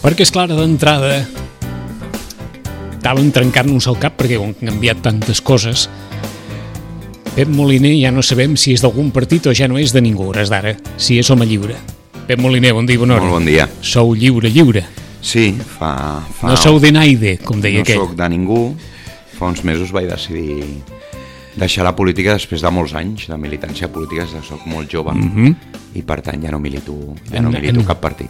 Perquè, és clar, d'entrada estaven trencant-nos el cap perquè han canviat tantes coses. Pep Moliner ja no sabem si és d'algun partit o ja no és de ningú, hores d'ara, si és home lliure. Pep Moliner, bon dia, bona hora. Molt bon dia. Sou lliure. Sí, fa... No sou de naide, com deia aquell. No soc de ningú. Fa uns mesos vaig decidir deixar la política després de molts anys de militància política, soc molt jove i per tant ja no milito cap partit.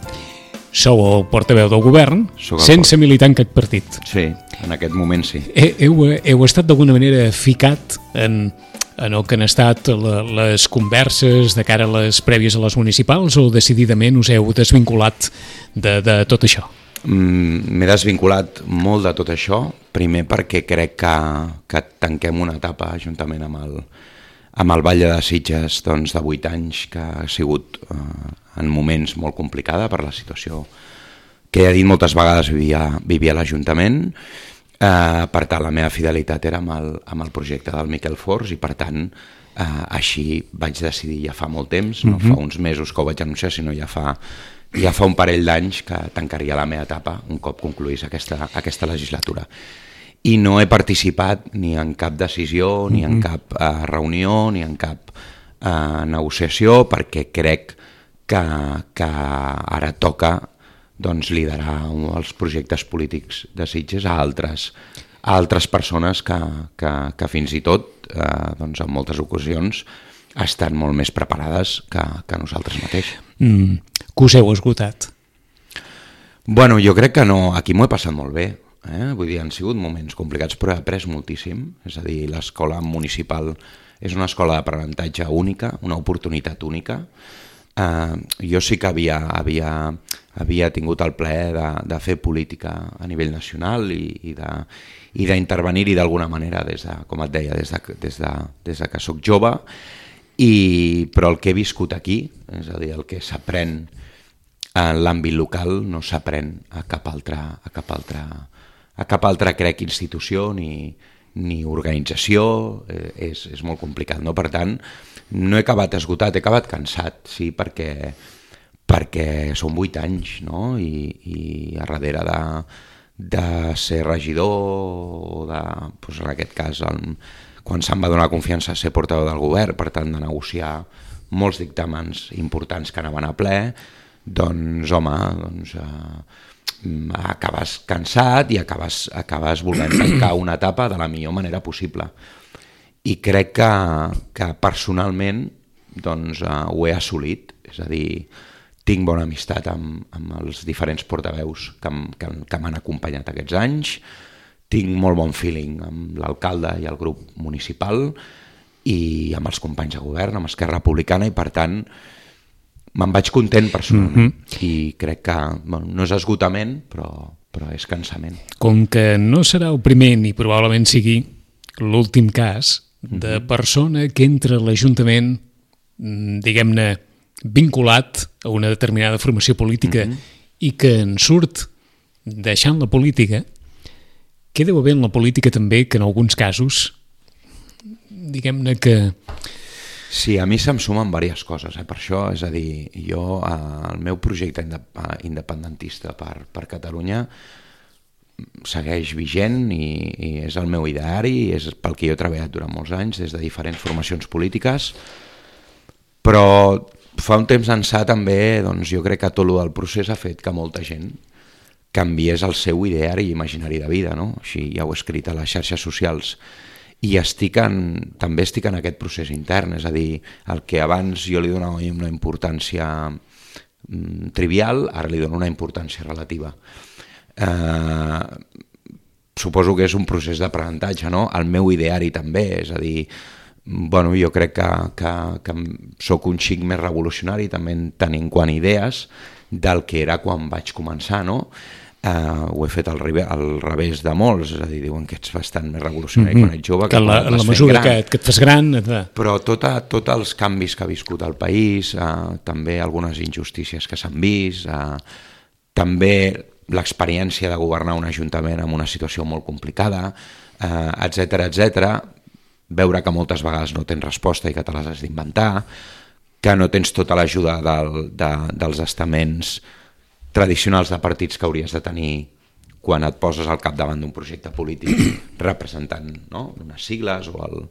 Sou el portaveu del govern sense militar en cap partit. Sí, en aquest moment sí. Heu estat d'alguna manera ficat en el que han estat les converses de cara a les prèvies a les municipals o decididament us heu desvinculat de tot això? M'he desvinculat molt de tot això, primer perquè crec que tanquem una etapa juntament amb el Vall de Sitges de 8 anys, que ha sigut en moments molt complicada per la situació que he dit moltes vegades vivia l'Ajuntament. Per tant, la meva fidelitat era amb el projecte del Miquel Forns i per tant així vaig decidir ja fa molt temps, no fa uns mesos que ho vaig anunciar, sinó ja fa un parell d'anys que tancaria la meva etapa un cop concluís aquesta legislatura. I no he participat ni en cap decisió, ni en cap reunió, ni en cap negociació, perquè crec que ara toca liderar els projectes polítics de Sitges a altres persones que fins i tot en moltes ocasions estan molt més preparades que nosaltres mateix. Que us heu esgotat? Bueno, jo crec que no, aquí m'ho he passat molt bé. Vull dir, han sigut moments complicats, però he après moltíssim. És a dir, l'escola municipal és una escola d'aprenentatge única, una oportunitat única. Jo sí que havia tingut el plaer de fer política a nivell nacional i d'intervenir-hi d'alguna manera, com et deia, des de que sóc jove, però el que he viscut aquí, és a dir, el que s'aprèn en l'àmbit local no s'aprèn a cap altra crec institució ni organització, és molt complicat, no? Per tant, no he acabat esgotat, he acabat cansat, sí, perquè són 8 anys, no? I a darrere de ser regidor, en aquest cas, quan se'm va donar confiança a ser portaveu del govern, per tant de negociar molts dictàmens importants que anaven a ple, acabes cansat i acabes volent tancar una etapa de la millor manera possible. I crec que personalment ho he assolit, és a dir, tinc bona amistat amb els diferents portaveus que m'han acompanyat aquests anys, tinc molt bon feeling amb l'alcalde i el grup municipal i amb els companys de govern, amb Esquerra Republicana, i per tant me'n vaig content personalment i crec que no és esgotament però és cansament. Com que no serà el primer ni probablement sigui l'últim cas de persona que entra a l'Ajuntament, diguem-ne, vinculat a una determinada formació política i que en surt deixant la política, què deu haver en la política també que en alguns casos, diguem-ne que... Sí, a mi se'm sumen diverses coses, per això, és a dir, jo, el meu projecte independentista per Catalunya segueix vigent i és el meu ideari, és pel que jo he treballat durant molts anys des de diferents formacions polítiques, però fa un temps ençà també, jo crec que tot el del procés ha fet que molta gent canviés el seu ideari i imaginari de vida, no? Així ja ho he escrit a les xarxes socials. I també estic en aquest procés intern, és a dir, el que abans jo li donava una importància trivial, ara li dono una importància relativa. Suposo que és un procés d'aprenentatge, no? El meu ideari també, és a dir, jo crec que sóc un xic més revolucionari també tenint quant idees del que era quan vaig començar, no? Ho he fet al revés de molts, és a dir, diuen que ets bastant més revolucionari quan ets jove, que en la mesura que et fas gran... Però tots els canvis que ha viscut el país, també algunes injustícies que s'han vist, també l'experiència de governar un ajuntament en una situació molt complicada, etc., veure que moltes vegades no tens resposta i que te les has d'inventar, que no tens tota l'ajuda dels estaments tradicionals de partits que hauries de tenir quan et poses al capdavant d'un projecte polític representant, no?, unes sigles o el...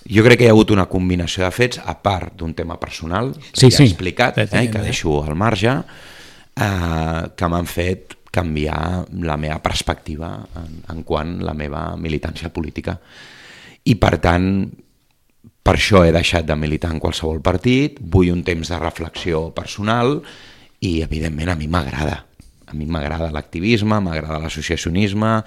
Jo crec que hi ha hagut una combinació de fets, a part d'un tema personal, que ja he explicat, que deixo al marge, que m'han fet canviar la meva perspectiva en quant a la meva militància política. I per tant, per això he deixat de militar en qualsevol partit, vull un temps de reflexió personal i, evidentment, a mi m'agrada. A mi m'agrada l'activisme, m'agrada l'associacionisme,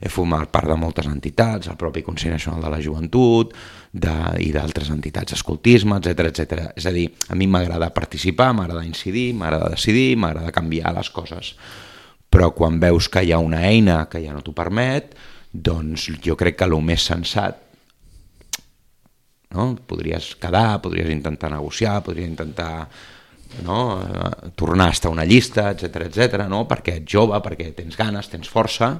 he format part de moltes entitats, el propi Consell Nacional de la Joventut i d'altres entitats, escoltisme, etc. És a dir, a mi m'agrada participar, m'agrada incidir, m'agrada decidir, m'agrada canviar les coses. Però quan veus que hi ha una eina que ja no t'ho permet, doncs jo crec que el més sensat, no? Podries quedar, podries intentar negociar, podries intentar... no? Tornar a estar a una llista, etc., no? Perquè ets jove, perquè tens ganes, tens força,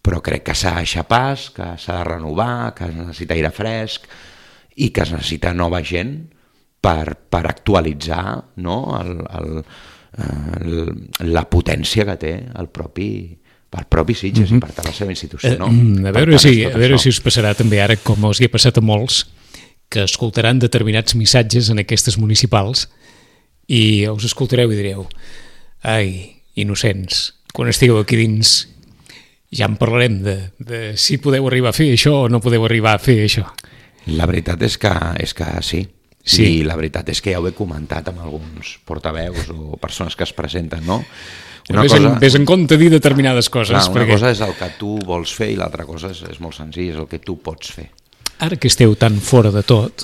però crec que s'ha de deixar pas, que s'ha de renovar, que es necessita aire fresc i que es necessita nova gent per actualitzar, no? La potència que té el propi Sitges i per tant la seva institució. No? A veure si us passarà també ara, com els hi ha passat a molts, que escoltaran determinats missatges en aquestes municipals i us escoltareu i direu: ai, innocents, quan estigueu aquí dins ja en parlarem de si podeu arribar a fer això o no podeu arribar a fer això. La veritat és que sí. Sí. I la veritat és que ja ho he comentat amb alguns portaveus o persones que es presenten, no? Ves en compte dir determinades coses. Una cosa és el que tu vols fer i l'altra cosa és molt senzill, és el que tu pots fer. Ara que esteu tan fora de tot,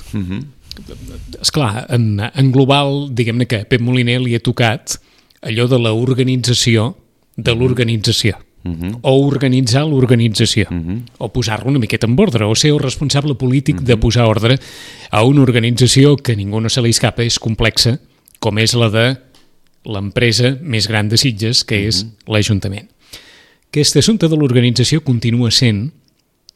esclar, en global, diguem-ne que a Pep Moliner li ha tocat allò de l'organització de l'organització. O organitzar l'organització, o posar-lo una miqueta en ordre, o ser el responsable polític de posar ordre a una organització que ningú no se li escapa, és complexa, com és la de l'empresa més gran de Sitges, que és l'Ajuntament. Aquest assumpte de l'organització continua sent,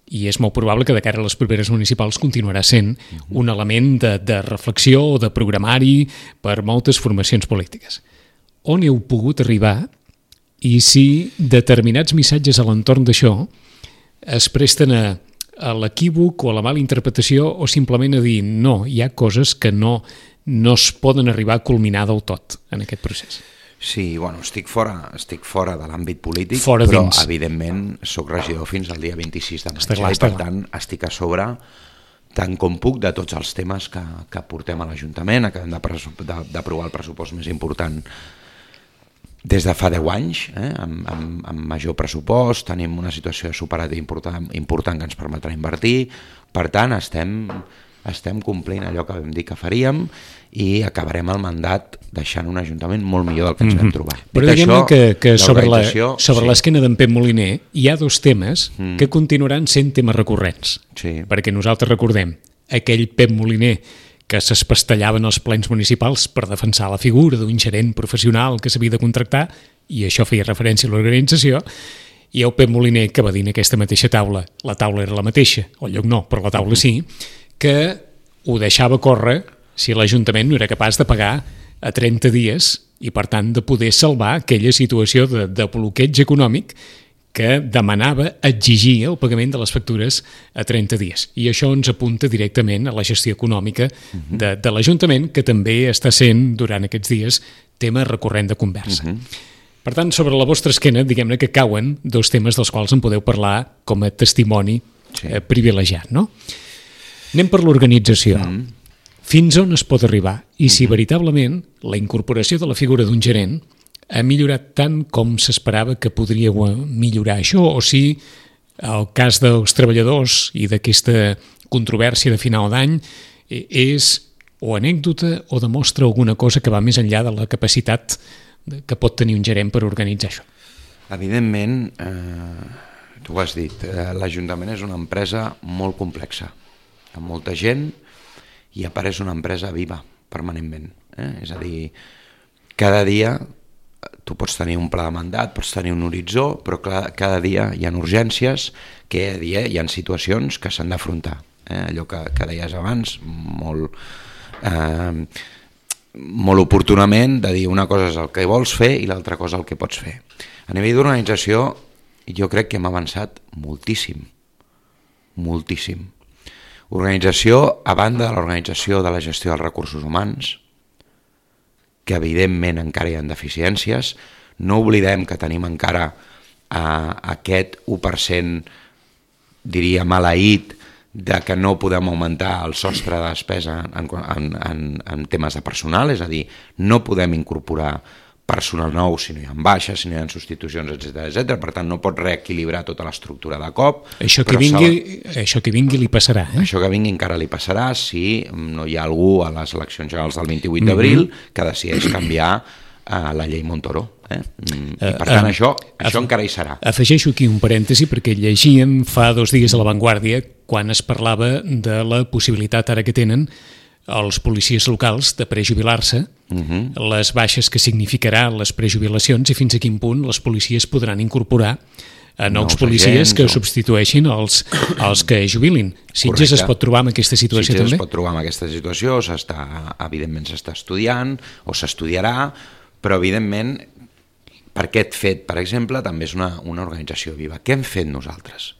i és molt probable que de cara a les properes municipals continuarà sent, un element de reflexió o de programari per moltes formacions polítiques. On heu pogut arribar i si determinats missatges a l'entorn d'això es presten a l'equívoc o a la mala interpretació o simplement a dir no, hi ha coses que no es poden arribar a culminar del tot en aquest procés. Sí, bueno, estic fora de l'àmbit polític, però dins. Evidentment soc regidor fins al dia 26 de maig i per tant estic a sobre tant com puc de tots els temes que portem a l'Ajuntament. Acabem d'aprovar el pressupost més important des de fa 10 anys, amb major pressupost, tenim una situació de superàvit important que ens permetrà invertir, per tant estem complint allò que vam dir que faríem i acabarem el mandat deixant un Ajuntament molt millor del que ens vam trobar. Però diguem-ne que sobre l'esquena d'en Pep Moliner hi ha dos temes que continuaran sent temes recurrents, perquè nosaltres recordem aquell Pep Moliner que s'espastellava en els plens municipals per defensar la figura d'un gerent professional que s'havia de contractar, i això feia referència a l'organització, i el Pep Moliner que va dir en aquesta mateixa taula, la taula era la mateixa, el lloc no, però la taula sí, que ho deixava córrer si l'Ajuntament no era capaç de pagar a 30 dies i, per tant, de poder salvar aquella situació de bloqueig econòmic que demanava exigir el pagament de les factures a 30 dies. I això ens apunta directament a la gestió econòmica de l'Ajuntament, que també està sent, durant aquests dies, tema recurrent de conversa. Per tant, sobre la vostra esquena, diguem-ne que cauen dos temes dels quals en podeu parlar com a testimoni privilegiat, no? Anem per l'organització. Fins on es pot arribar? I si veritablement la incorporació de la figura d'un gerent ha millorat tant com s'esperava que podria millorar això, o si el cas dels treballadors i d'aquesta controvèrsia de final d'any és o anècdota o demostra alguna cosa que va més enllà de la capacitat que pot tenir un gerent per organitzar això. Evidentment, tu ho has dit, l'Ajuntament és una empresa molt complexa, amb molta gent, i a part és una empresa viva permanentment. És a dir, cada dia tu pots tenir un pla de mandat, pots tenir un horitzó, però cada dia hi ha urgències, cada dia hi ha situacions que s'han d'afrontar. Allò que deies abans, molt molt oportunament de dir una cosa és el que vols fer i l'altra cosa el que pots fer. A nivell d'organització jo crec que hem avançat moltíssim, moltíssim. Organització, a banda de l'organització de la gestió dels recursos humans, que evidentment encara hi ha deficiències, no oblidem que tenim encara aquest 1%, diria, maleït, de que no podem augmentar el sostre de despesa en temes de personal, és a dir, no podem incorporar personal nou si no hi ha baixes, si no hi ha substitucions, etc. Per tant, no pot reequilibrar tota l'estructura de cop. Això que vingui li passarà. Això que vingui encara li passarà si no hi ha algú a les eleccions generals del 28 d'abril que decideix canviar la llei Montoro. I per tant això encara hi serà. Afegeixo aquí un parèntesi perquè llegíem fa 2 dies a La Vanguardia quan es parlava de la possibilitat ara que tenen els policies locals de prejubilar-se, les baixes que significarà les prejubilacions i fins a quin punt les policies podran incorporar a nous policies que substitueixin els que jubilin. Sitges es pot trobar en aquesta situació també? Sitges es pot trobar en aquesta situació, evidentment s'està estudiant o s'estudiarà, però evidentment per aquest fet, per exemple, també és una organització viva. Què hem fet nosaltres?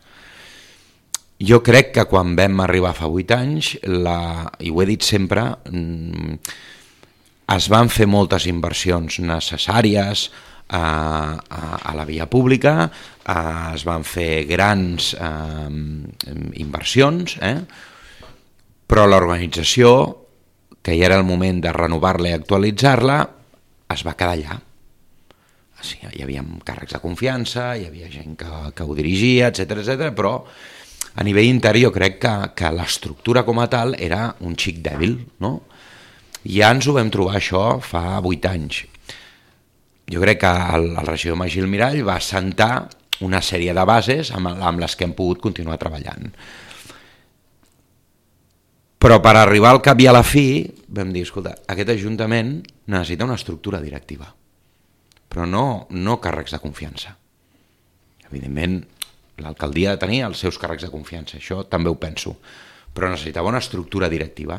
Jo crec que quan vam arribar fa 8 anys, i ho he dit sempre, es van fer moltes inversions necessàries a la via pública, es van fer grans inversions, però l'organització, que ja era el moment de renovar-la i actualitzar-la, es va quedar allà. Hi havia càrrecs de confiança, hi havia gent que ho dirigia, etc, però a nivell interior crec que l'estructura com a tal era un xic dèbil, no? Ja ens ho vam trobar això fa 8 anys. Jo crec que el regidor Magí Almirall va assentar una sèrie de bases amb les que hem pogut continuar treballant. Però per arribar al cap i a la fi vam dir, escolta, aquest Ajuntament necessita una estructura directiva, però no càrrecs de confiança. Evidentment, l'alcaldia ha de tenir els seus càrrecs de confiança, això també ho penso, però necessitava una estructura directiva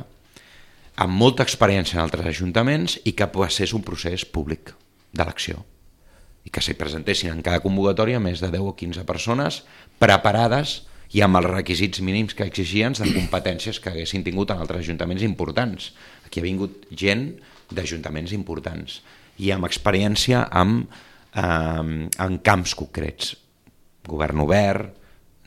amb molta experiència en altres ajuntaments i que passés un procés públic d'elecció i que s'hi presentessin en cada convocatòria més de 10 o 15 persones preparades i amb els requisits mínims que exigien de competències que haguessin tingut en altres ajuntaments importants. Aquí ha vingut gent d'ajuntaments importants i amb experiència en camps concrets, govern obert,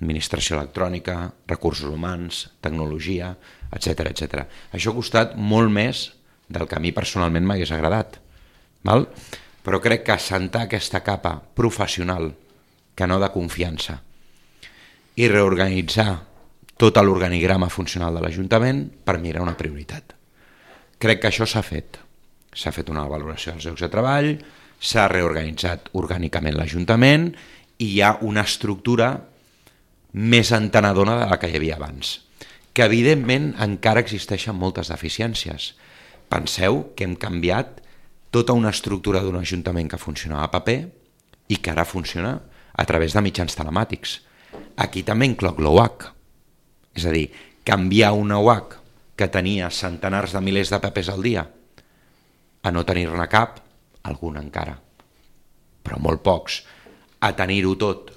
administració electrònica, recursos humans, tecnologia, etc. Això ha costat molt més del que a mi personalment m'hagués agradat, val? Però crec que assentar aquesta capa professional, que no de confiança, i reorganitzar tot l'organigrama funcional de l'Ajuntament, per mi era una prioritat. Crec que això s'ha fet. S'ha fet una valoració dels llocs de treball, s'ha reorganitzat orgànicament l'Ajuntament i hi ha una estructura més entenedora de la que hi havia abans, que evidentment encara existeixen moltes deficiències. Penseu que hem canviat tota una estructura d'un Ajuntament que funcionava a paper i que ara funciona a través de mitjans telemàtics. Aquí també incloc l'OAC, és a dir, canviar una OAC que tenia centenars de milers de papers al dia a no tenir-ne cap, algun encara, però molt pocs, a tenir-ho tot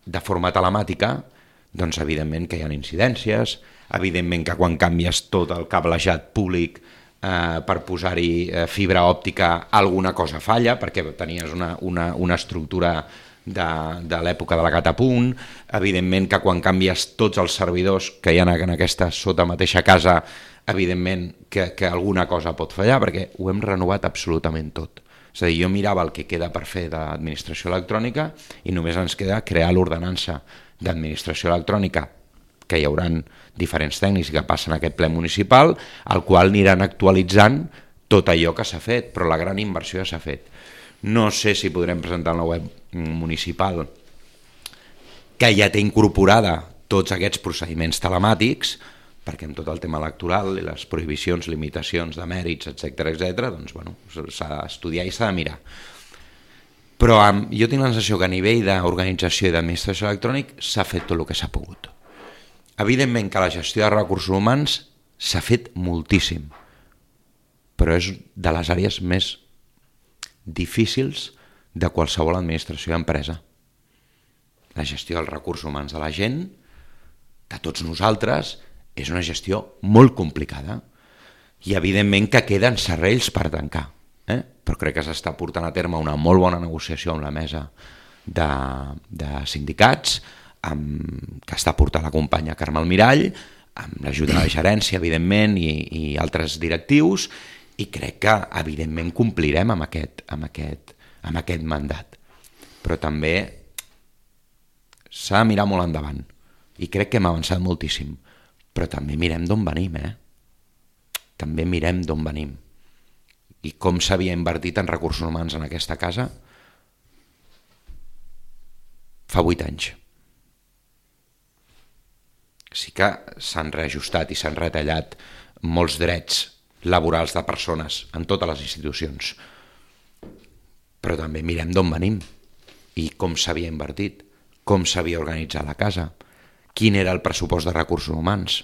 de forma telemàtica, doncs evidentment que hi ha incidències, evidentment que quan canvies tot el cablejat públic per posar-hi fibra òptica alguna cosa falla, perquè tenies una estructura de l'època de la catapunt, evidentment que quan canvies tots els servidors que hi ha en aquesta sota mateixa casa, evidentment que alguna cosa pot fallar, perquè ho hem renovat absolutament tot. És a dir, jo mirava el que queda per fer d'administració electrònica i només ens queda crear l'ordenança d'administració electrònica, que hi haurà diferents tècnics que passen a aquest ple municipal, al qual aniran actualitzant tot allò que s'ha fet, però la gran inversió ja s'ha fet. No sé si podrem presentar en la web municipal que ja té incorporada tots aquests procediments telemàtics, perquè amb tot el tema electoral i les prohibicions, limitacions de mèrits, etc., doncs bueno, s'ha d'estudiar i s'ha de mirar. Però jo tinc la sensació que a nivell d'organització i d'administració electrònic s'ha fet tot el que s'ha pogut. Evidentment que la gestió de recursos humans s'ha fet moltíssim, però és de les àrees més difícils de qualsevol administració d'empresa. La gestió dels recursos humans de la gent, de tots nosaltres, és una gestió molt complicada i evidentment que queden serrells per tancar, però crec que s'està portant a terme una molt bona negociació amb la mesa de sindicats, que està portant la companya Carme Almirall, amb l'ajuda de la gerència, evidentment, i altres directius, i crec que, evidentment, complirem amb aquest mandat. Però també s'ha de mirar molt endavant, i crec que hem avançat moltíssim, però també mirem d'on venim, També mirem d'on venim. I com s'havia invertit en recursos humans en aquesta casa fa 8 anys. Sí que s'han reajustat i s'han retallat molts drets laborals de persones en totes les institucions. Però també mirem d'on venim i com s'havia invertit, com s'havia organitzat la casa, quin era el pressupost de recursos humans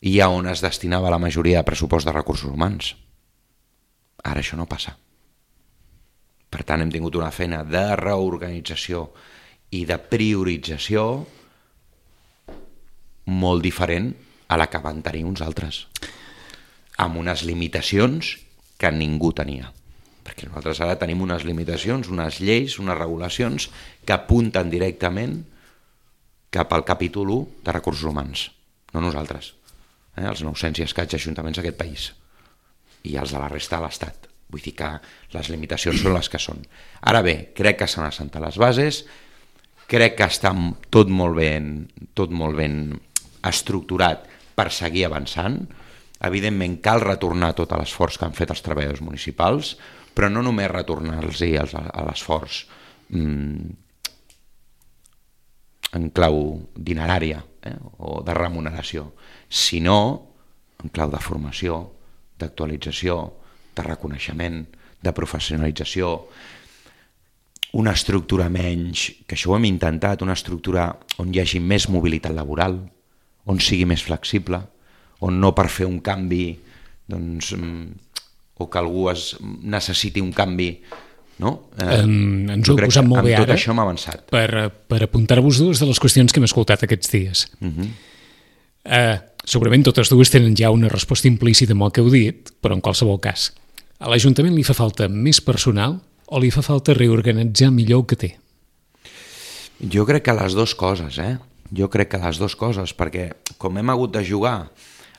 i a on es destinava la majoria de pressupost de recursos humans. Ara això no passa. Per tant, hem tingut una feina de reorganització i de priorització molt diferent a la que van tenir uns altres, amb unes limitacions que ningú tenia. Perquè nosaltres ara tenim unes limitacions, unes lleis, unes regulacions que apunten directament cap al capítol 1 de recursos humans, no nosaltres, els 900 i escaig ajuntaments d'aquest país i els de la resta de l'Estat. Vull dir que les limitacions són les que són. Ara bé, crec que s'han assentat les bases, crec que està tot molt ben estructurat per seguir avançant. Evidentment cal retornar tot l'esforç que han fet els treballadors municipals, però no només retornar-los a l'esforç en clau dinerària o de remuneració, sinó en clau de formació, d'actualització, de reconeixement, de professionalització, una estructura menys, que això ho hem intentat, una estructura on hi hagi més mobilitat laboral, on sigui més flexible, on no per fer un canvi o que algú necessiti un canvi, no? Ens ho he posat molt bé ara. Amb tot això hem avançat. Per apuntar-vos dues de les qüestions que hem escoltat aquests dies. Segurament totes dues tenen ja una resposta implícita amb el que heu dit, però en qualsevol cas, a l'Ajuntament li fa falta més personal o li fa falta reorganitzar millor el que té? Jo crec que les dues coses, Jo crec que les dues coses, perquè com hem hagut de jugar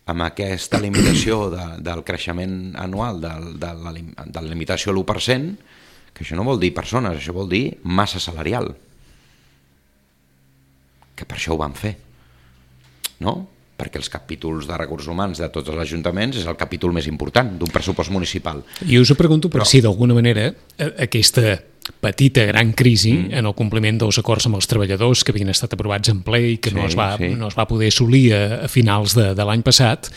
amb aquesta limitació del creixement anual, de la limitació a l'1%, que això no vol dir persones, això vol dir massa salarial. Que per això ho vam fer, no? Perquè els capítols de recursos humans de tots els ajuntaments és el capítol més important d'un pressupost municipal. I us ho pregunto per si d'alguna manera aquesta petita gran crisi en el compliment dels acords amb els treballadors que havien estat aprovats en ple i que no es va poder assolir a finals de l'any passat,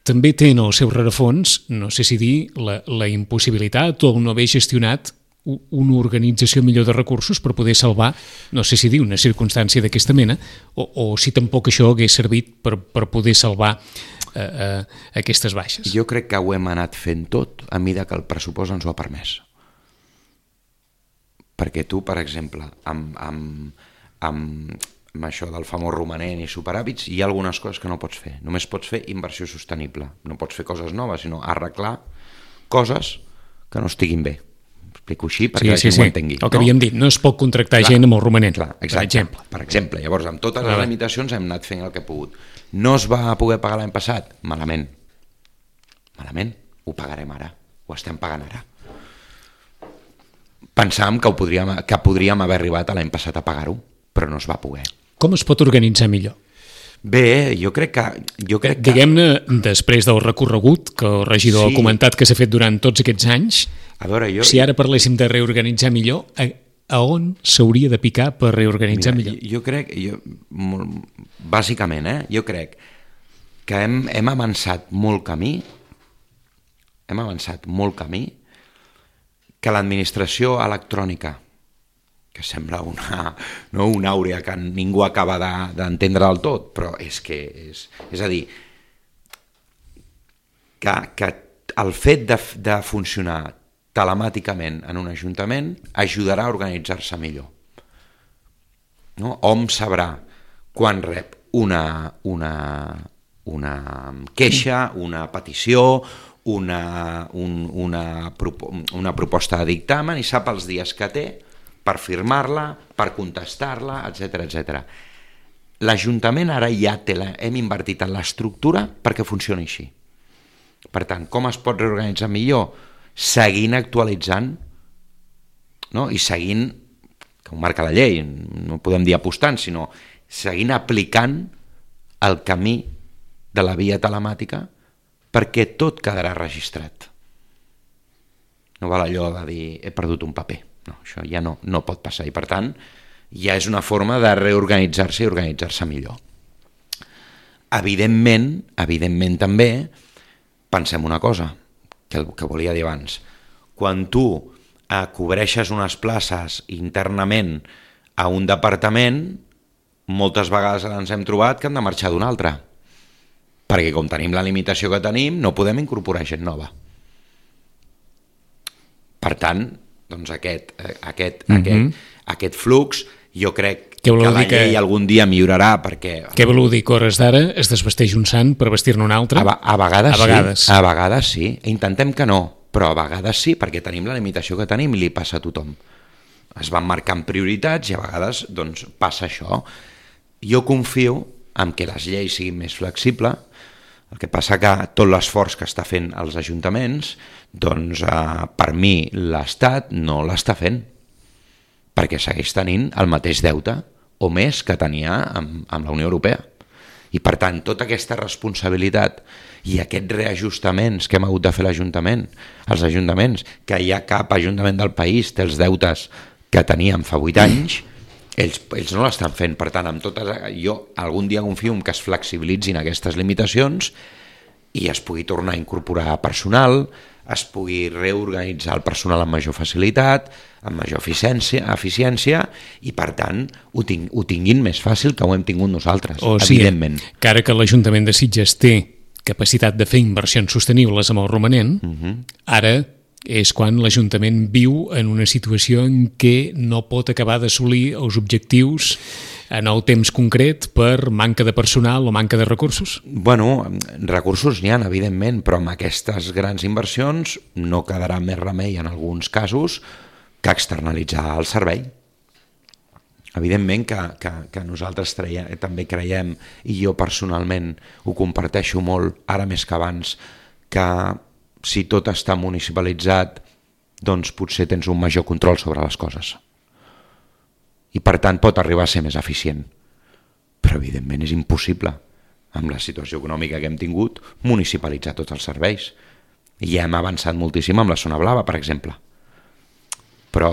també té en el seu rerefons, no sé si dir, la impossibilitat o el no haver gestionat una organització millor de recursos per poder salvar, no sé si dir, una circumstància d'aquesta mena, o si tampoc això hagués servit per poder salvar aquestes baixes. Jo crec que ho hem anat fent tot a mida que el pressupost ens ho ha permès. Perquè tu, per exemple, amb això del famós romanent i superàvits, hi ha algunes coses que no pots fer. Només pots fer inversió sostenible. No pots fer coses noves, sinó arreglar coses que no estiguin bé. Explico així perquè la gent ho entengui. El que havíem dit, no es pot contractar gent amb el romanent, per exemple. Llavors, amb totes les limitacions hem anat fent el que hem pogut. No es va poder pagar l'any passat? Malament. Ho pagarem ara. Ho estem pagant ara. Pensàvem que podríem haver arribat l'any passat a pagar-ho, però no es va poder. Com es pot organitzar millor? Bé, jo crec que... Diguem-ne, després del recorregut que el regidor ha comentat que s'ha fet durant tots aquests anys, si ara parléssim de reorganitzar millor, a on s'hauria de picar per reorganitzar millor? Jo crec, bàsicament, jo crec que hem avançat molt camí, que l'administració electrònica, que sembla una àurea que ningú acaba d'entendre del tot, però és a dir, que el fet de funcionar telemàticament en un ajuntament ajudarà a organitzar-se millor. No? Hom sabrà quan rep una queixa, una petició, una proposta de dictamen i sap els dies que té per firmar-la, per contestar-la, etc. L'Ajuntament ara ja hem invertit en l'estructura perquè funcioni així. Per tant, com es pot reorganitzar millor? Seguint actualitzant, no? I seguint, que ho marca la llei, no podem dir apostant, sinó seguint aplicant el camí de la via telemàtica perquè tot quedarà registrat. No val allò de dir he perdut un paper. No, això ja no pot passar i per tant ja és una forma de reorganitzar-se i organitzar-se millor. Evidentment també pensem una cosa que volia dir abans. Quan tu cobreixes unes places internament a un departament, moltes vegades ens hem trobat que han de marxar d'un altre, perquè com tenim la limitació que tenim no podem incorporar gent nova. Per tant, doncs aquest flux jo crec que la llei algun dia millorarà perquè... Què voleu dir que hores d'ara es desvesteix un sant per vestir-ne un altre? A vegades sí. Intentem que no, però a vegades sí, perquè tenim la limitació que tenim i li passa a tothom. Es van marcant prioritats i a vegades doncs, passa això. Jo confio en que les lleis siguin més flexibles. El que passa que tot l'esforç que està fent els ajuntaments, doncs per mi l'Estat no l'està fent, perquè segueix tenint el mateix deute o més que tenia amb la Unió Europea. I per tant, tota aquesta responsabilitat i aquests reajustaments que hem hagut de fer els ajuntaments, que hi ha cap ajuntament del país té els deutes que teníem fa 8 anys, ells no l'estan fent. Per tant, jo algun dia confio en que es flexibilitzin aquestes limitacions i es pugui tornar a incorporar personal, es pugui reorganitzar el personal amb major facilitat, amb major eficiència i, per tant, ho tinguin més fàcil que ho hem tingut nosaltres, evidentment. Que ara que l'Ajuntament de Sitges té capacitat de fer inversions sostenibles amb el romanent, ara és quan l'Ajuntament viu en una situació en què no pot acabar d'assolir els objectius en el temps concret per manca de personal o manca de recursos? Bueno, recursos n'hi ha, evidentment, però amb aquestes grans inversions no quedarà més remei en alguns casos que externalitzar el servei. Evidentment que nosaltres també creiem, i jo personalment ho comparteixo molt, ara més que abans, que si tot està municipalitzat, doncs potser tens un major control sobre les coses. I per tant pot arribar a ser més eficient. Però evidentment és impossible, amb la situació econòmica que hem tingut, municipalitzar tots els serveis. I ja hem avançat moltíssim amb la zona blava, per exemple. Però,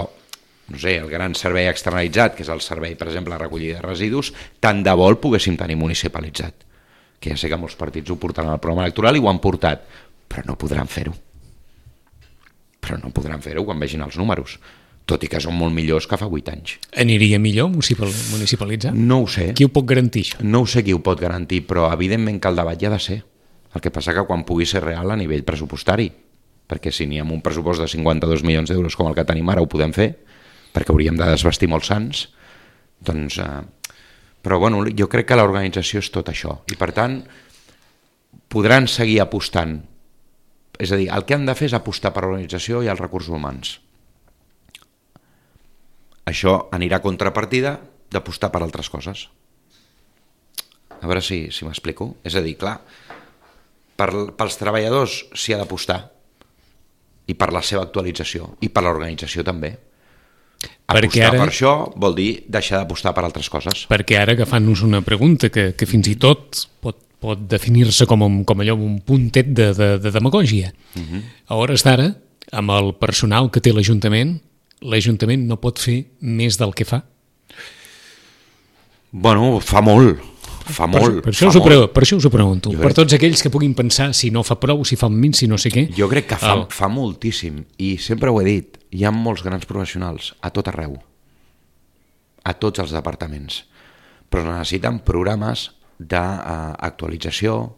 no sé, el gran servei externalitzat, que és el servei, per exemple, de recollida de residus, tant de bo el poguéssim tenir municipalitzat. Que ja sé que molts partits ho portaran al programa electoral i ho han portat, però no podran fer-ho. Però no podran fer-ho quan vegin els números. Tot i que són molt millors que fa 8 anys. Aniria millor municipalitzar? No ho sé. Qui ho pot garantir, això? No ho sé qui ho pot garantir, però evidentment que el debat ja ha de ser. El que passa que quan pugui ser real a nivell pressupostari, perquè si n'hi ha un pressupost de 52 milions d'euros com el que tenim ara ho podem fer, perquè hauríem de desvestir molts sants, doncs... Però bueno, jo crec que l'organització és tot això, i per tant podran seguir apostant. És a dir, el que han de fer és apostar per l'organització i els recursos humans. Això anirà a contrapartida d'apostar per altres coses. A veure si m'explico. És a dir, clar, pels treballadors s'hi ha d'apostar i per la seva actualització i per l'organització també. Apostar per això vol dir deixar d'apostar per altres coses. Perquè ara, agafant-nos una pregunta que fins i tot pot definir-se com allò, un puntet de demagògia. A hores d'ara, amb el personal que té l'Ajuntament no pot fer més del que fa? Bueno, fa molt. Per això us ho pregunto. Per tots aquells que puguin pensar si no fa prou, si fa menys, si no sé què. Jo crec que fa moltíssim. I sempre ho he dit, hi ha molts grans professionals a tot arreu. A tots els departaments. Però necessiten programes d'actualització,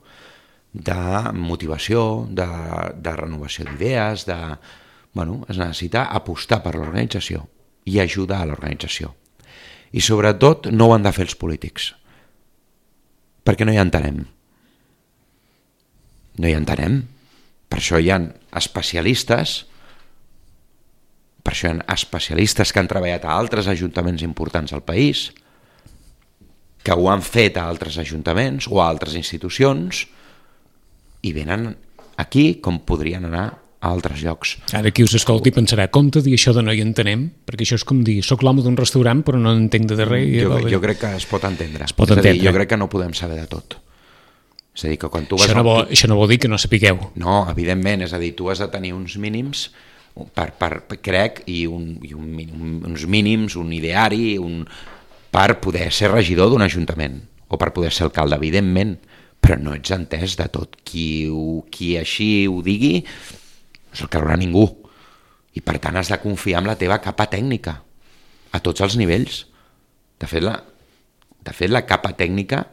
de motivació, de renovació d'idees, es necessita apostar per l'organització i ajudar a l'organització. I sobretot no ho han de fer els polítics, perquè no hi entenem. No hi entenem. Per això hi ha especialistes, que han treballat a altres ajuntaments importants al país, que ho han fet a altres ajuntaments o a altres institucions i venen aquí com podrien anar a altres llocs. Ara qui us escolti pensarà, compte dir això de no hi entenem, perquè això és com dir, soc l'home d'un restaurant però no entenc de res. Jo crec que es pot entendre. Es pot entendre. Jo crec que no podem saber de tot. És a dir, que quan tu vas... Això no vol dir que no sapigueu. No, evidentment, és a dir, tu has de tenir uns mínims, crec, i uns mínims, un ideari, per poder ser regidor d'un ajuntament, o per poder ser alcalde, evidentment, però no ets entès de tot. Qui així ho digui, no se'l creurà ningú. I per tant has de confiar en la teva capa tècnica, a tots els nivells. De fet, la capa tècnica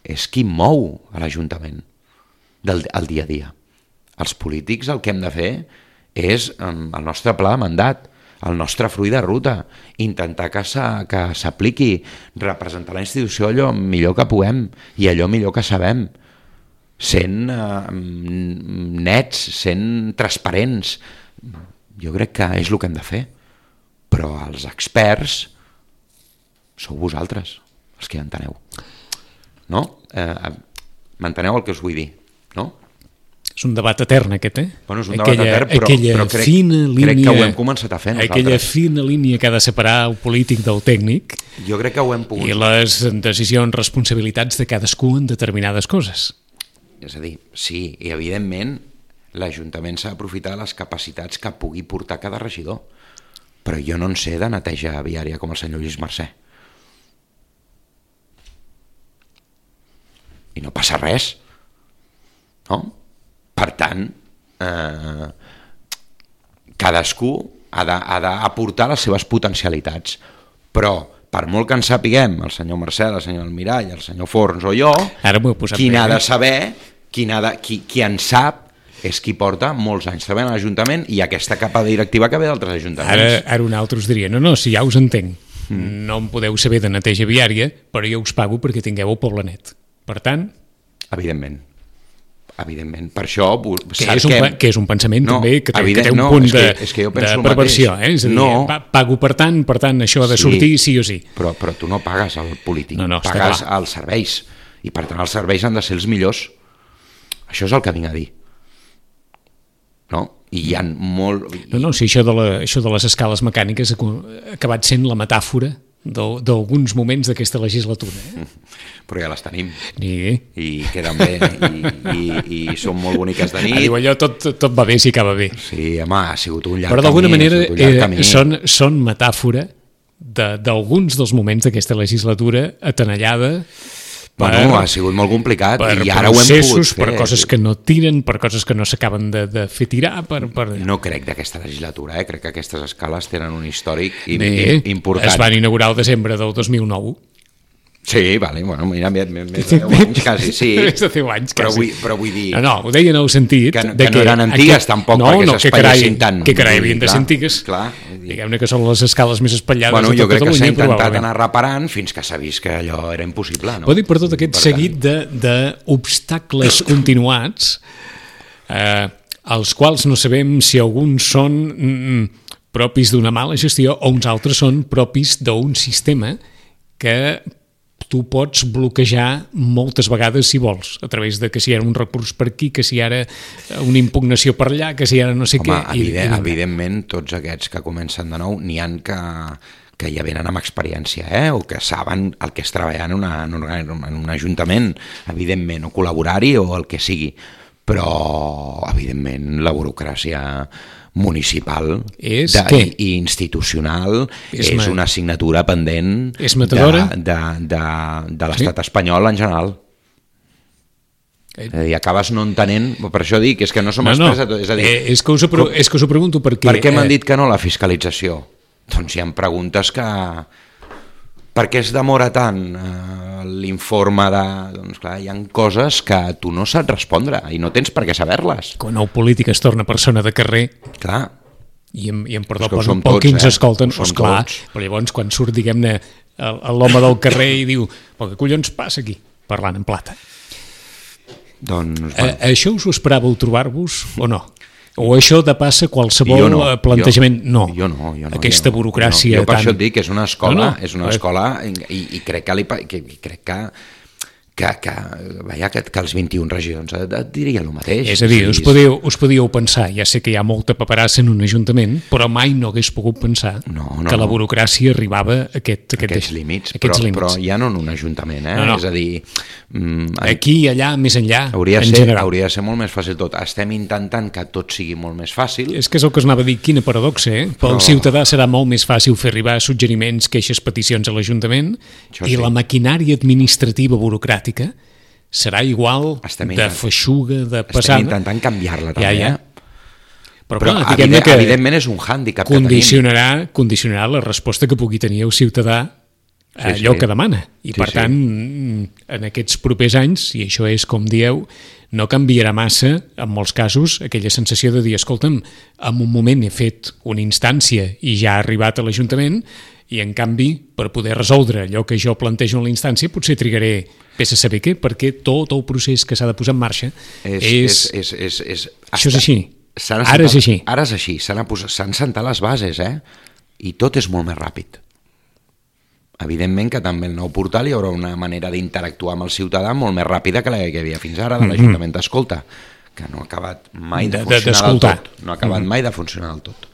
és qui mou a l'Ajuntament el dia a dia. Els polítics el que hem de fer és el nostre pla de mandat, el nostre full de ruta, intentar que s'apliqui, representar la institució allò millor que puguem i allò millor que sabem, sent nets, sent transparents. Jo crec que és el que hem de fer, però els experts sou vosaltres, els que enteneu. No? M'enteneu el que us vull dir, no? És un debat etern aquest, Bueno, és un debat etern, però crec que ho hem començat a fer nosaltres. Aquella fina línia que ha de separar el polític del tècnic. Jo crec que ho hem pogut. I les decisions, responsabilitats de cadascú en determinades coses. És a dir, sí, i evidentment l'Ajuntament s'ha d'aprofitar de les capacitats que pugui portar cada regidor, però jo no en sé de neteja viària com el senyor Lluís Mercè. I no passa res, no? Per tant, cadascú ha d'aportar les seves potencialitats, però per molt que en sapiguem, el senyor Mercè, el senyor Almirall, el senyor Forns o jo, qui n'ha de saber, qui en sap, és qui porta molts anys treballant a l'Ajuntament i aquesta capa directiva que ve d'altres ajuntaments. Ara un altre us diria, no, si ja us entenc, no em podeu saber de neteja viària, però jo us pago perquè tingueu el poble net. Per tant... Evidentment. Per això... Que és un pensament també que té un punt de perversió. És a dir, pago per tant això ha de sortir sí o sí. Però tu no pagues al polític, pagues als serveis. I per tant els serveis han de ser els millors. Això és el que vinc a dir. No? I hi ha molt... Si això de les escales mecàniques ha acabat sent la metàfora d'alguns moments d'aquesta legislatura. Però ja les tenim. I queden bé i són molt boniques de nit. Diu allò, tot va bé si acaba bé. Sí, home, ha sigut un llarg camí. Però d'alguna manera són metàfora d'alguns dels moments d'aquesta legislatura atenallada ha sigut molt complicat i ara ho hem pogut fer. Per coses que no tiren, per coses que no s'acaben de fer tirar. No crec d'aquesta legislatura, crec que aquestes escales tenen un històric important. Es van inaugurar el desembre del 2009. Sí, vale, bueno, mira, més de 10 anys quasi, sí. Més de 10 anys quasi. Però vull dir... No, ho deia en el sentit... Que no eren antigues tampoc, perquè s'espatllessin tant. Que carai, havien de ser antigues. Diguem-ne que són les escales més espatllades de tot Catalunya. Jo crec que s'ha intentat anar reparant fins que s'ha vist que allò era impossible. Vull dir, per tot aquest seguit d'obstacles continuats, els quals no sabem si alguns són propis d'una mala gestió o uns altres són propis d'un sistema que tu pots bloquejar moltes vegades si vols, a través de que si era un recurs per aquí, que si era una impugnació per allà, que si era no sé què. Evidentment, tots aquests que comencen de nou, n'hi ha que ja venen amb experiència, o que saben el que és treballar en un ajuntament, evidentment, o col·laborar-hi o el que sigui. Però, evidentment, la burocràcia municipal i institucional és una assignatura pendent de l'estat espanyol en general. És a dir, acabes no entenent, per això dic, és que no som experts de tot. És que us ho pregunto perquè... Per què m'han dit que no la fiscalització? Doncs hi ha preguntes que Per què es demora tant l'informe de... Doncs clar, hi ha coses que tu no saps respondre i no tens per què saber-les. Quan el polític es torna persona de carrer, Clar. i em perdó, És que ho som pel que tots, ens escolten, ho som clar, tots. però llavors quan surt, diguem-ne, l'home del carrer i diu, però què collons passa aquí? Parlant en plata. Doncs, Això us ho esperàveu trobar-vos o no? O això de passa qualsevol jo no, plantejament? No. Jo no. Aquesta burocràcia Jo per tan... això et dic que és una escola, No, no. és una escola i crec que els 21 regions et diria el mateix. És a dir, us podíeu pensar, ja sé que hi ha molta paperassa en un ajuntament, però mai no hagués pogut pensar que la burocràcia arribava a aquests límits. Però ja no en un ajuntament, No. És a dir... aquí, allà, més enllà, hauria general. de ser molt més fàcil tot. Estem intentant que tot sigui molt més fàcil. És que és el que us anava a dir, quina paradoxa, eh? Pel ciutadà serà molt més fàcil fer arribar suggeriments, queixes, peticions a l'Ajuntament i la maquinària administrativa burocràtica serà igual de feixuga, de pesada. Estem intentant canviar-la també, Però clar, diguem-ne que evidentment és un hàndicap que tenim. Condicionarà la resposta que pugui tenir el ciutadà a allò que demana. I per tant, en aquests propers anys, i això és com dieu, no canviarà massa, en molts casos, aquella sensació de dir, escolta'm, en un moment he fet una instància i ja ha arribat a l'Ajuntament, i en canvi, per poder resoldre allò que jo plantejo en la instància, potser trigaré vés a saber què, perquè tot el procés que s'ha de posar en marxa Això és així. Ara és així. Ara és així. S'han sentat les bases, i tot és molt més ràpid. Evidentment que també el nou portal hi haurà una manera d'interactuar amb el ciutadà molt més ràpida que la que hi havia fins ara de l'Ajuntament d'Escolta, que no ha acabat mai de funcionar del tot. No ha acabat mai de funcionar del tot.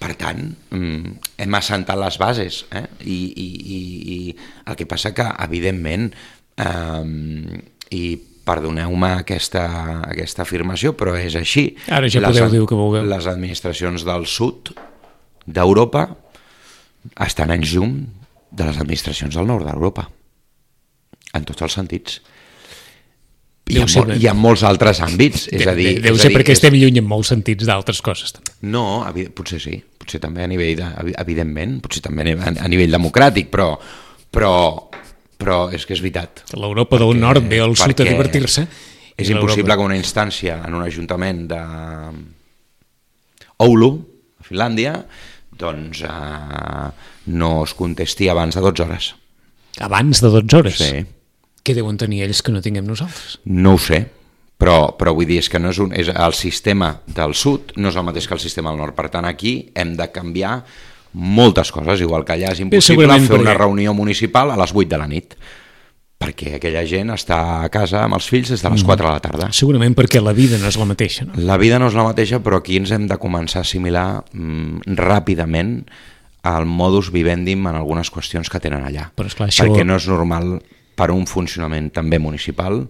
Per tant, hem assentat les bases, i el que passa que, evidentment, i perdoneu-me aquesta afirmació, però és així. Ara ja podeu dir el que vulgueu. Les administracions del sud d'Europa estan en llum de les administracions del nord d'Europa, en tots els sentits. I en molts altres àmbits. Deu ser perquè estem lluny en molts sentits d'altres coses. També. No, potser sí. Potser també a nivell, evidentment, potser també a nivell democràtic, però és que és veritat. L'Europa del nord ve al sud a divertir-se. És impossible que una instància en un ajuntament de Oulu, a Finlàndia, doncs no es contesti abans de 12 hores. Abans de 12 hores? Sí. Què deuen tenir ells que no tinguem nosaltres? No ho sé, però vull dir, és que no és el sistema del sud no és el mateix que el sistema del nord. Per tant, aquí hem de canviar moltes coses, igual que allà és impossible fer una reunió municipal a les 8 de la nit, perquè aquella gent està a casa amb els fills des de les 4 de la tarda. Segurament perquè la vida no és la mateixa, no? La vida no és la mateixa, però aquí ens hem de començar a assimilar ràpidament el modus vivendi en algunes qüestions que tenen allà. Però esclar, això... Perquè no és normal per un funcionament també municipal,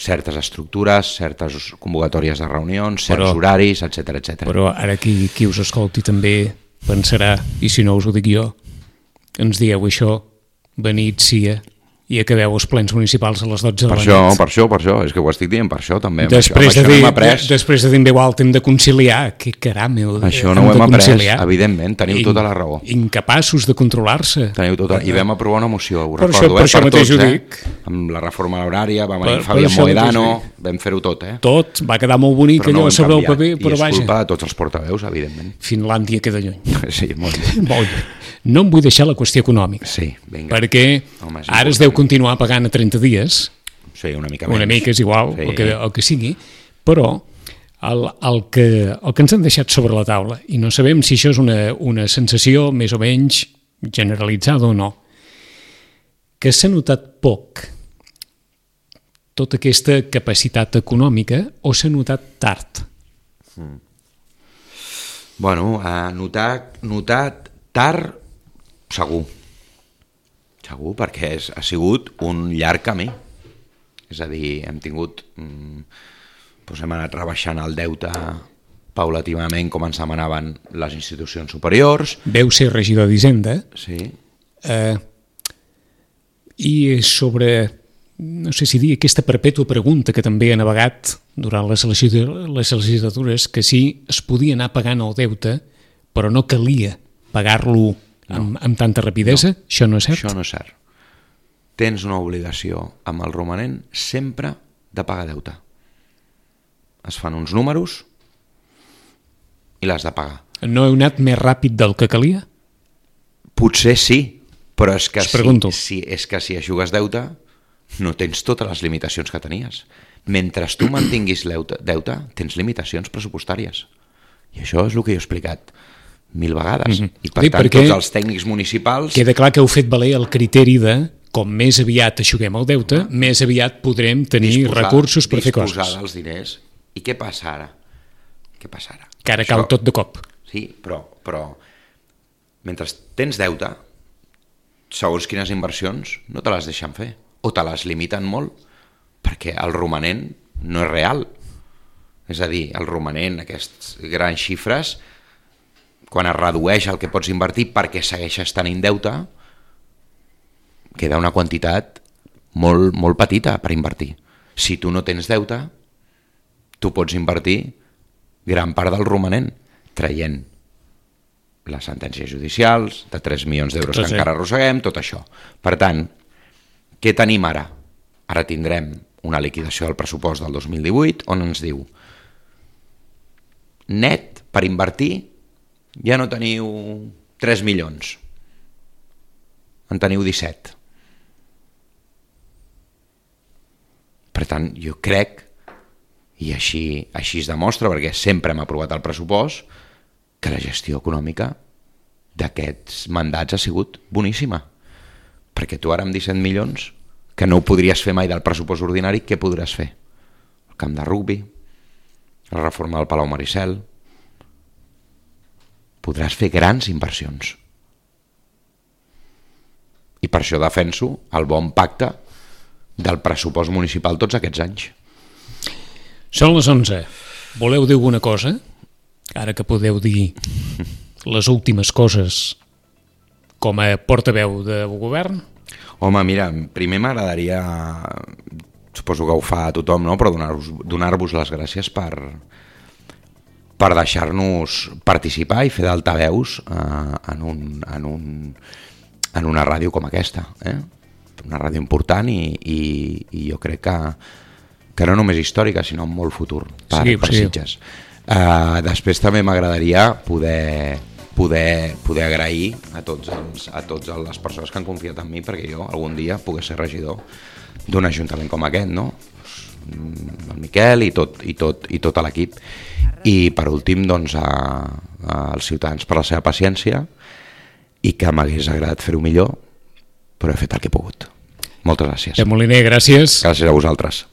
certes estructures, certes convocatòries de reunions, certs horaris, etc. Però ara qui us escolti també pensarà, i si no us ho dic jo, ens dieu això, venit, sia, i acabeu els plens municipals a les 12 de la nit. Per això, és que ho estic dient per això també. Després de dir en veu alta hem de conciliar, que caram, això no ho hem après, evidentment, teniu tota la raó. Incapaços de controlar-se. I vam aprovar una moció, ho recordo, per això mateix ho dic. Amb la reforma horària, va venir Fabián Moedano, vam fer-ho tot. Tot, va quedar molt bonic allò sobre el paper, però vaja. I és culpa de tots els portaveus, evidentment. Finlàndia queda lluny. Sí, molt lluny. No em vull deixar la qüestió econòmica, perquè ara es deu continuar pagant a 30 dies, sí, una mica menys. Una mica és igual, sí. el que sigui, però el que ens han deixat sobre la taula, i no sabem si això és una sensació més o menys generalitzada o no, que s'ha notat poc tota aquesta capacitat econòmica o s'ha notat tard? Bueno, notat tard, segur, perquè ha sigut un llarg camí. És a dir, hem anat rebaixant el deute paulativament com ens demanaven les institucions superiors. Veu ser regidor d'Hisenda. Sí. I sobre, no sé si dir, aquesta perpètua pregunta que també ha navegat durant les legislatures, que sí es podia anar pagant el deute, però no calia pagar-lo amb tanta rapidesa? No. Això no és cert? Això no és cert. Tens una obligació amb el romanent sempre de pagar deute. Es fan uns números i l'has de pagar. No heu anat més ràpid del que calia? Potser sí, però és que, és que si eixugues deute no tens totes les limitacions que tenies. Mentre tu mantinguis deute, tens limitacions pressupostàries. I això és el que jo he explicat 1000 vegades. I per tant, tots els tècnics municipals... Queda clar que heu fet valer el criteri de com més aviat eixuguem el deute, més aviat podrem tenir recursos per fer coses. Disposar dels diners. I què passa ara? Que ara cau tot de cop. Sí, però mentre tens deute, segons quines inversions no te les deixen fer, o te les limiten molt, perquè el romanent no és real. És a dir, el romanent, aquestes grans xifres, quan es redueix el que pots invertir perquè segueixes tenint deute, queda una quantitat molt, molt petita per invertir. Si tu no tens deute, tu pots invertir gran part del romanent, traient les sentències judicials, de 3 milions d'euros que encara arrosseguem, tot això. Per tant, què tenim ara? Ara tindrem una liquidació del pressupost del 2018 on ens diu net per invertir ja no teniu 3 milions, en teniu 17. Per tant, jo crec, i així es demostra, perquè sempre hem aprovat el pressupost, que la gestió econòmica d'aquests mandats ha sigut boníssima. Perquè tu ara amb 17 milions, que no ho podries fer mai del pressupost ordinari, què podràs fer? El camp de rugbi, la reforma del Palau Maricel... Podràs fer grans inversions. I per això defenso el bon pacte del pressupost municipal tots aquests anys. Són les 11. Voleu dir alguna cosa? Ara que podeu dir les últimes coses com a portaveu de govern? Home, mira, primer m'agradaria, suposo que ho fa a tothom, no? Però donar-vos les gràcies per deixar-nos participar i fer d'altaveus en una ràdio com aquesta. Una ràdio important i jo crec que no només històrica, sinó molt futur per Sitges. Després també m'agradaria poder agrair a totes les persones que han confiat en mi perquè jo algun dia pogués ser regidor d'un ajuntament com aquest, no? El Miquel i tot l'equip. I per últim, doncs, als ciutadans per la seva paciència i que m'hagués agradat fer-ho millor, però he fet el que he pogut. Moltes gràcies. Moliner, gràcies. Gràcies a vosaltres.